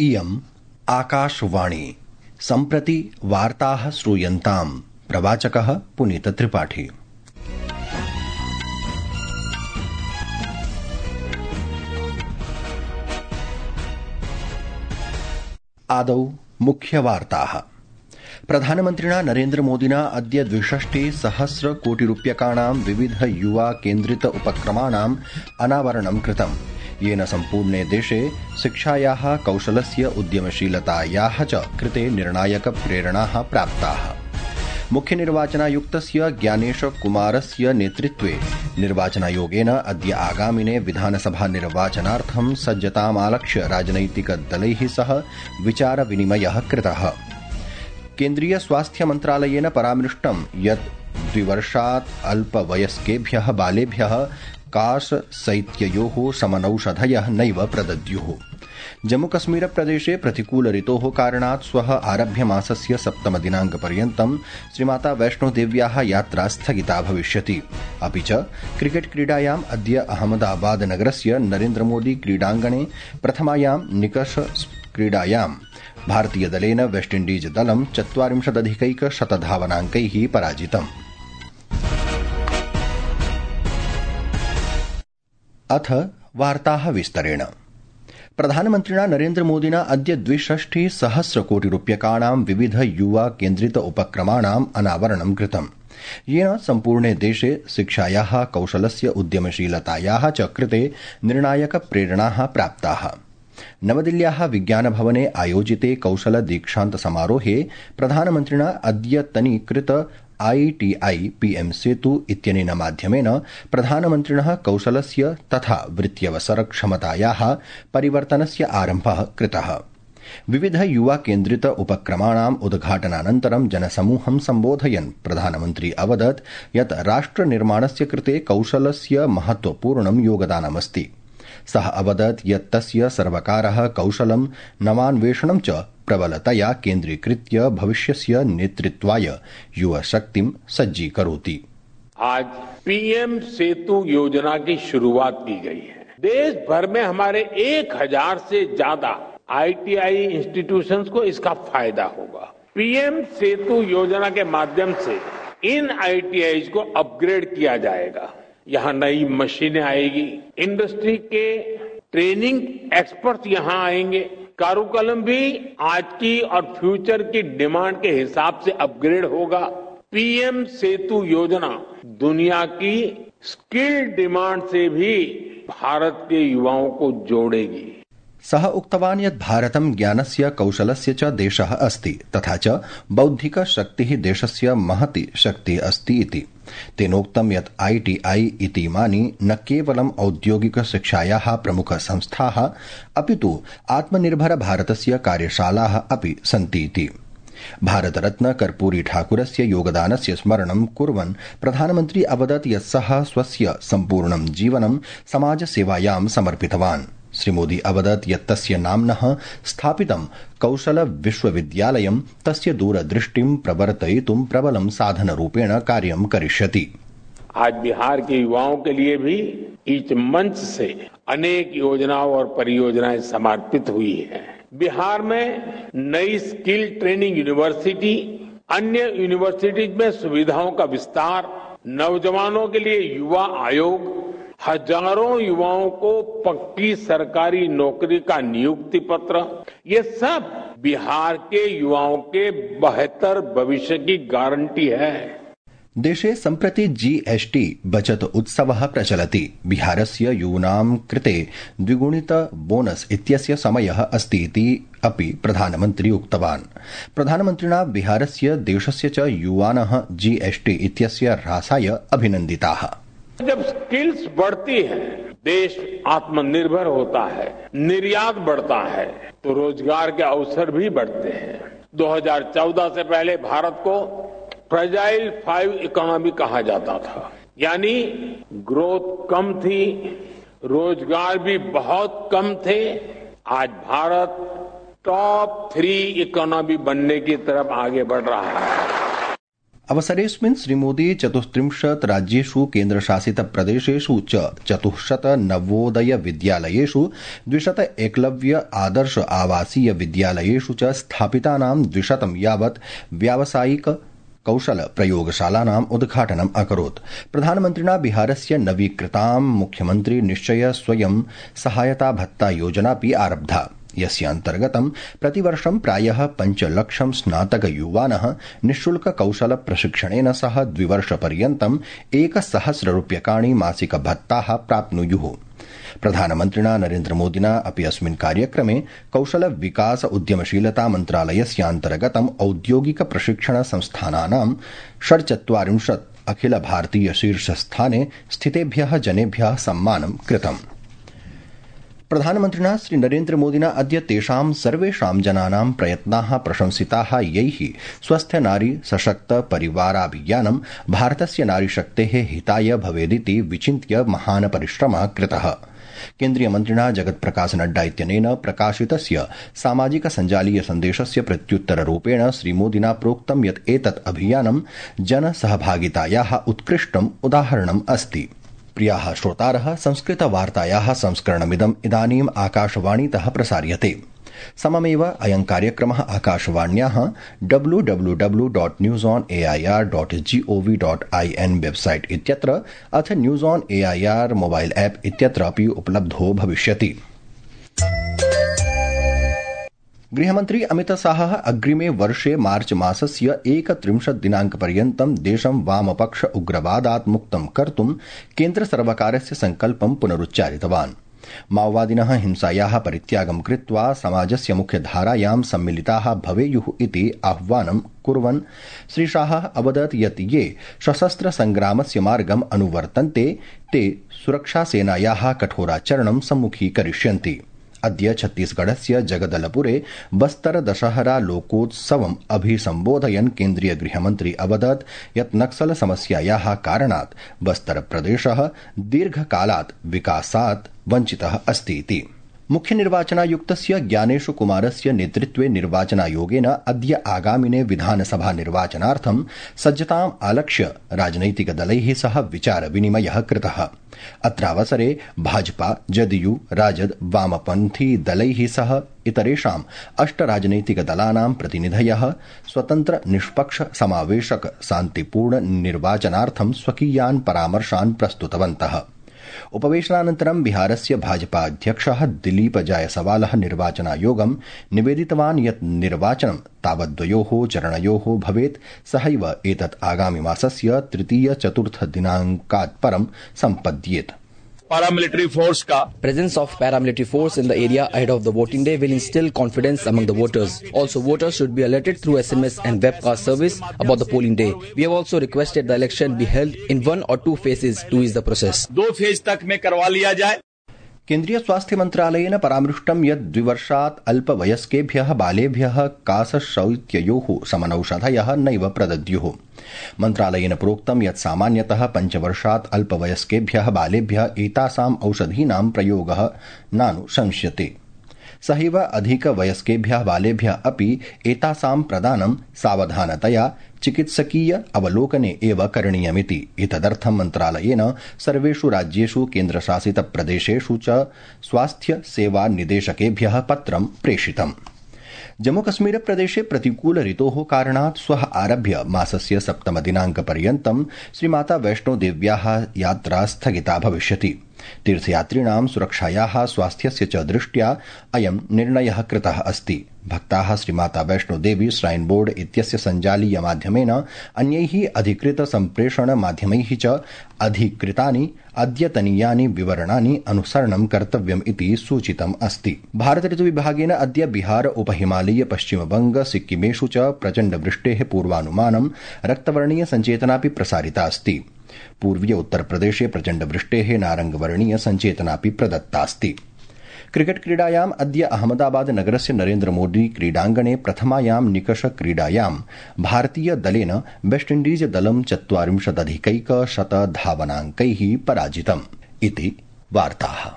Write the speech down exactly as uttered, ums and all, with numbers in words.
इयम् आकाशवाणी। सम्प्रति वार्ताः श्रूयन्ताम्। प्रवाचकः पुनीत त्रिपाठी। आदौ मुख्यवार्ताः। प्रधानमन्त्रिणा नरेन्द्रमोदिना अद्य द्विषष्टि सहस्र कोटिरूप्यकाणां विविध युवा केन्द्रित उपक्रमाणाम् अनावरणं कृतम्, येन सम्पूर्णे देशे शिक्षायाः, कौशलस्य, उद्यमशीलतायाः च कृते निर्णायक प्रेरणाः प्राप्ताः। मुख्यनिर्वाचनायुक्तस्य ज्ञानेश कुमारस्य नेतृत्वे निर्वाचनायोगेन अद्य आगामिने विधानसभा निर्वाचनार्थं सज्जतामालक्ष्य राजनैतिकदलैः सह विचार विनिमयः कृतः। केन्द्रीय स्वास्थ्य मन्त्रालयेन परामृष्टं यत् द्विवर्षात् अल्पवयस्केभ्यः बालेभ्यः काशशैत्ययोः समनौषधयः नैव प्रदद्युः। जम्मूकश्मीर प्रदेशे प्रतिकूल ऋतोः कारणात् श्वः आरभ्य मासस्य सप्तमदिनाङ्कपर्यन्तं श्रीमाता वैष्णोदेव्याः यात्रा स्थगिता भविष्यति। अपि च क्रिकेट क्रीडायाम् अद्य अहमदाबाद नगरस्य नरेन्द्रमोदी क्रीडाङ्गणे प्रथमायां निकष क्रीडायां भारतीयदलेन वेस्टइण्डीज दलं चत्वारिंशदधिकैकशतधावनाङ्कैः पराजितम्। अथ वार्ताः विस्तरेण। प्रधानमन्त्रिणा नरेन्द्रमोदिना अद्य द्विषष्टि सहस्र कोटिरूप्यकाणां विविध युवा केन्द्रित उपक्रमाणाम् अनावरणं कृतम्, येन सम्पूर्णे देशे शिक्षायाः, कौशलस्य, उद्यमशीलतायाः च कृते निर्णायक प्रेरणाः प्राप्ताः। नवदिल्ल्याः विज्ञानभवने आयोजिते कौशल दीक्षान्त समारोहे प्रधानमन्त्रिणा अद्यतनीकृत आईटीआई पीएम सेतु इत्यनेन माध्यमेन प्रधानमन्त्रिणः कौशलस्य तथा वृत्त्यवसरक्षमतायाः परिवर्तनस्य आरम्भः कृतः। विविध युवा केन्द्रित उपक्रमाणाम् उद्घाटनानन्तरं जनसमूहं सम्बोधयन् प्रधानमन्त्री अवदत् यत् राष्ट्रनिर्माणस्य कृते कौशलस्य महत्वपूर्णं योगदानमस्ति। सः अवदत् यत् तस्य सर्वकारः कौशलं, नवान्वेषणं च प्रबलतया केन्द्रीकृत्य भविष्यस्य नेतृत्वाय युवशक्तिं सज्जीकरोति। आज पीएम सेतु योजना की शुरुआत की गई है। देश भर में हमारे एक हजार से ज्यादा आईटीआई इंस्टीट्यूशंस को इसका फायदा होगा। पीएम सेतु योजना के माध्यम से इन आईटीआई को अपग्रेड किया जाएगा। यहाँ नई मशीनें आएगी, इंडस्ट्री के ट्रेनिंग एक्सपर्ट यहाँ आएंगे, कारुकलम भी आज की और फ्यूचर की डिमांड के हिसाब से अपग्रेड होगा। पीएम सेतु योजना दुनिया की स्किल डिमांड से भी भारत के युवाओं को जोड़ेगी। सः उक्तवान् यत् भारतं ज्ञानस्य, कौशलस्य च देशः अस्ति, तथा च बौद्धिक शक्तिः देशस्य महती शक्तिः अस्ति इति। तेनोक्तं यत् आईटीआई इतीमानि न केवलं औद्योगिक शिक्षायाः प्रमुख संस्थाः, अपि तु आत्मनिर्भर भारतस्य कार्यशालाः अपि सन्ति इति। भारतरत्न कर्पूरी ठाकुरस्य योगदानस्य स्मरणं कुर्वन् प्रधानमन्त्री अवदत् यत् सः स्वस्य सम्पूर्णं जीवनं समाजसेवायां समर्पितवान्। श्रीमोदी अवदत् यत् तस्य नाम्नः स्थापितं कौशल विश्वविद्यालयं तस्य दूरदृष्टिं प्रवर्तयितुं प्रबलं साधनरूपेण कार्यं करिष्यति। आज बिहार के युवाओं के लिए भी इस मंच से अनेक योजनाओं और परियोजनाएं समर्पित हुई हैं। बिहार में नई स्किल ट्रेनिंग यूनिवर्सिटी, अन्य यूनिवर्सिटीज में सुविधाओं का विस्तार, नौजवानों के लिए युवा आयोग, हजारों युवाओं को पक्की सरकारी नौकरी का नियुक्ति पत्र, ये सब बिहार के युवाओं के बेहतर भविष्य की गारंटी है। देशे सम्प्रति जीएसटी बचत उत्सवः प्रचलति। बिहारस्य यूनां कृते द्विगुणित बोनस इत्यस्य समयः अस्ति इति अपि प्रधानमन्त्री उक्तवान्। प्रधानमन्त्रिणा बिहारस्य, देशस्य च युवानः जीएसटी इत्यस्य ह्रासाय अभिनन्दिताः। जब स्किल्स बढ़ती है, देश आत्मनिर्भर होता है, निर्यात बढ़ता है, तो रोजगार के अवसर भी बढ़ते हैं। दो हज़ार चौदह से पहले भारत को फ्रेजाइल फाइव इकोनॉमी कहा जाता था, यानी ग्रोथ कम थी, रोजगार भी बहुत कम थे। आज भारत टॉप थ्री इकोनॉमी बनने की तरफ आगे बढ़ रहा है। अवसरेऽस्मिन् श्रीमोदी चतुस्त्रिंशत् राज्येषु केन्द्रशासितप्रदेशेषु च चतुःशत नवोदय विद्यालयेषु द्विशत एकलव्य आदर्श आवासीय विद्यालयेषु च स्थापितानां द्विशतं यावत् व्यावसायिक कौशल प्रयोगशालानाम् उद्घाटनम् अकरोत्। प्रधानमन्त्रिणा बिहारस्य नवीकृतां मुख्यमन्त्री निश्चय स्वयं सहायता भत्ता योजनापि आरब्धा, यस्य अन्तर्गतं प्रतिवर्षं प्रायः पञ्चलक्षं स्नातक युवानः निःशुल्क कौशल प्रशिक्षणेन सह द्विवर्षपर्यन्तम् एकसहस्र रूप्यकाणि मासिक भत्ताः प्राप्नुयुः। प्रधानमन्त्रिणा नरेन्द्रमोदिना अपि अस्मिन् कार्यक्रमे कौशल विकास उद्यमशीलता मन्त्रालयस्यान्तर्गतम् औद्योगिक प्रशिक्षण संस्थानानां षड्चत्वारिंशत् अखिल भारतीय शीर्षस्थाने स्थितेभ्यः जनेभ्यः सम्मानं कृतम्। प्रधानमन्त्रिणा श्री नरेन्द्रमोदिना अद्य तेषां सर्वेषां जनानां प्रयत्नाः प्रशंसिताः, यैः स्वस्थ नारी सशक्त परिवाराभियानं भारतस्य नारीशक्तेः हिताय भवेदिति विचिन्त्य महान् परिश्रमः कृतः। केन्द्रीयमन्त्रिणा जगत्प्रकाश नड्डा इत्यनेन प्रकाशितस्य सामाजिक सञ्जालीय सन्देशस्य प्रत्युत्तररूपेण श्रीमोदिना प्रोक्तं यत् एतत् अभियानं जनसहभागितायाः उत्कृष्टम् उदाहरणम् अस्ति। प्रियाः श्रोतारः, संस्कृतवार्तायाः संस्करणमिदम् इदानीम् आकाशवाणीतः प्रसार्यते। सममेव अयं कार्यक्रमः आकाशवाण्याः W W W dot news on A I R dot G O V dot I N website इत्यत्र अथ news on A I R mobile app इत्यत्र अपि उपलब्धो भविष्यति। गृहमन्त्री अमितशाहः अग्रिमे वर्षे मार्च मासस्य एकत्रिंशत् दिनाङ्कपर्यन्तं देशं वामपक्ष उग्रवादात् मुक्तं कर्तुं केन्द्रसर्वकारस्य सङ्कल्पं पुनरुच्चारितवान्। माओवादिनः हिंसायाः परित्यागं कृत्वा समाजस्य मुख्यधारायां सम्मिलिताः भवेयुः इति आह्वानं कुर्वन् श्रीशाहः अवदत् यत् ये सशस्त्र संग्रामस्य मार्गम् अनुवर्तन्ते ते सुरक्षासेनायाः कठोराचरणं सम्मुखीकरिष्यन्ति। अद्य छत्तीसगढ़स्य जगदलपुरे बस्तर दशहरा लोकोत्सवम् अभिसम्बोधयन् केन्द्रीय गृहमन्त्री अवदत् यत् नक्सल समस्यायाः कारणात् बस्तर प्रदेशः दीर्घकालात् विकासात् वञ्चितः अस्ति इति। मुख्य निर्वाचनायुक्तस्य ज्ञानेशु कुमारस्य नेतृत्वे निर्वाचनायोगेन अद्य आगामिने विधानसभा निर्वाचनार्थं सज्जताम् आलक्ष्य राजनैतिकदलैः सह विचार विनिमयः कृतः। अत्रावसरे भाजपा, जदयू, राजद, वामपन्थी दलैः सह इतरेषाम् अष्ट राजनैतिकदलानां प्रतिनिधयः स्वतन्त्र निष्पक्ष समावेशक शान्तिपूर्ण निर्वाचनार्थं स्वकीयान् परामर्शान् प्रस्तुतवन्तः। उपवेशनानन्तरं बिहारस्य भाजपा अध्यक्षः दिलीप जायसवालः निर्वाचनायोगं निवेदितवान् यत् निर्वाचनं तावद्वयोः चरणयोः भवेत्, सहैव एतत् आगामि मासस्य तृतीय चतुर्थ दिनाङ्कात् परं सम्पद्येत। Paramilitary force ka presence of paramilitary force in the area ahead of the voting day will instill confidence among the voters. Also, voters should be alerted through S M S and webcast service about the polling day. We have also requested the election be held in one or two phases to ease the process. दो phase तक में करवा लिया जाए। केन्द्रीय स्वास्थ्य मन्त्रालयेन परामृष्टं यत् द्विवर्षात् अल्पवयस्केभ्यः बालेभ्यः कासशौत्ययोः समनौषधयः नैव प्रदद्युः। मन्त्रालयेन प्रोक्तं यत् सामान्यतः पञ्चवर्षात् अल्पवयस्केभ्यः बालेभ्यः एतासाम् औषधीनां प्रयोगः नानुशंस्यते। सहैव अधिकवयस्केभ्यः बालेभ्यः अपि एतासां प्रदानं सावधानतया चिकित्सकीय अवलोकने एव करणीयमिति। एतदर्थं मन्त्रालयेन सर्वेषु राज्येषु केन्द्रशासितप्रदेशेषु च स्वास्थ्य सेवा निदेशकेभ्यः पत्रं प्रेषितम्। जम्मूकश्मीर प्रदेशे प्रतिकूल ऋतोः कारणात् श्वः आरभ्य मासस्य सप्तमदिनाङ्कपर्यन्तं श्रीमाता वैष्णोदेव्याः यात्रा स्थगिता भविष्यति। तीर्थयात्रिणां सुरक्षायाः स्वास्थ्यस्य च दृष्ट्या अयं निर्णयः कृतः अस्ति। भक्ताः श्रीमाता वैष्णोदेवी श्राइन बोर्ड इत्यस्य सञ्जालीय माध्यमेन अन्यैः अधिकृत सम्प्रेषण माध्यमैः च अधिकृतानि अद्यतनीयानि विवरणानि अनुसरणं कर्तव्यम् इति सूचितम् अस्ति। भारत ऋतुविभागेन अद्य बिहार उपहिमालयीय पश्चिमबंग सिक्किमेषु च प्रचण्ड वृष्टेः पूर्वानुमानं रक्तवर्णीय सञ्चेतनापि प्रसारिता अस्ति। पूर्वीय उत्तरप्रदेशे प्रचण्ड वृष्टेः नारंगवर्णीय सञ्चेतनापि प्रदत्तास्ति। क्रिकेट क्रीडायाम् अद्य अहमदाबाद नगरस्य नरेन्द्र मोदी क्रीडाङ्गणे प्रथमायां निकष क्रीडायां भारतीय दलेन वेस्टइण्डीज दलं चत्वारिंशदधिकैकशत धावनाङ्कैः पराजितम् इति वार्ताः।